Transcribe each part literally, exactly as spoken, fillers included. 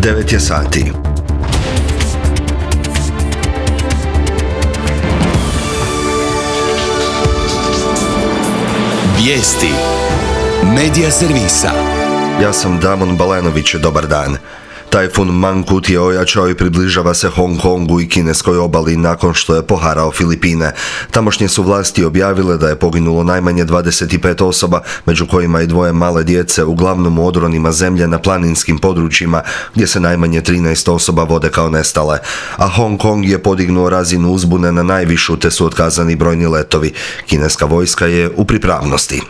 devet je sati. Vijesti Medija servisa. Ja sam Damon Balenović, dobar dan. Tajfun Mangkhut je ojačao i približava se Hong Kongu i kineskoj obali nakon što je poharao Filipine. Tamošnje su vlasti objavile da je poginulo najmanje dvadeset pet osoba, među kojima i dvoje male djece, uglavnom u odronima zemlje na planinskim područjima gdje se najmanje trinaest osoba vode kao nestale. A Hong Kong je podignuo razinu uzbune na najvišu te su otkazani brojni letovi. Kineska vojska je u pripravnosti.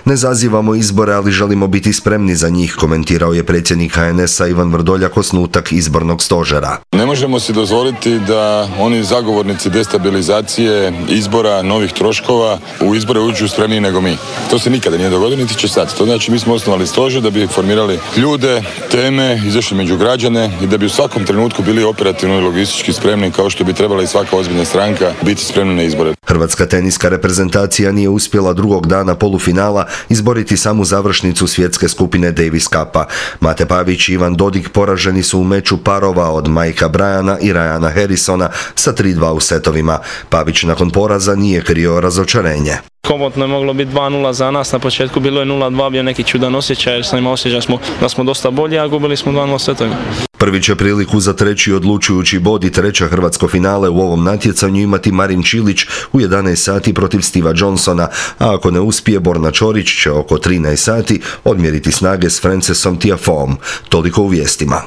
Ne zazivamo izbore, ali želimo biti spremni za njih, komentirao je predsjednik H N S-a Ivan Vrdoljak osnutak izbornog stožera. Ne možemo si dozvoliti da oni zagovornici destabilizacije izbora, novih troškova u izbore uđu spremniji nego mi. To se nikada nije dogodilo, niti će sad. To znači mi smo osnovali stožer da bi formirali ljude, teme, izašli među građane i da bi u svakom trenutku bili operativno i logistički spremni kao što bi trebala i svaka ozbiljna stranka biti spremna na izbore. Hrvatska teniska reprezentacija nije uspjela drugog dana polufinala izboriti samu završnicu svjetske skupine Davis Cupa. Mate Pavić i Ivan Dodig poraženi su u meču parova od Mikea Bryana i Ryana Harrisona sa tri dva u setovima. Pavić nakon poraza nije krio razočarenje. Komotno je moglo biti dva nula za nas, na početku bilo je nula dva, bio neki čudan osjećaj jer sam imao osjećaj smo, da smo dosta bolji, a gubili smo dva nula setovima. Prvi će priliku za treći odlučujući bod i treće hrvatsko finale u ovom natjecanju imati Marin Čilić u jedanaest sati protiv Steva Johnsona, a ako ne uspije, Borna Čorić će oko trinaest sati odmjeriti snage s Francesom Tiafoeom. Toliko u vijestima.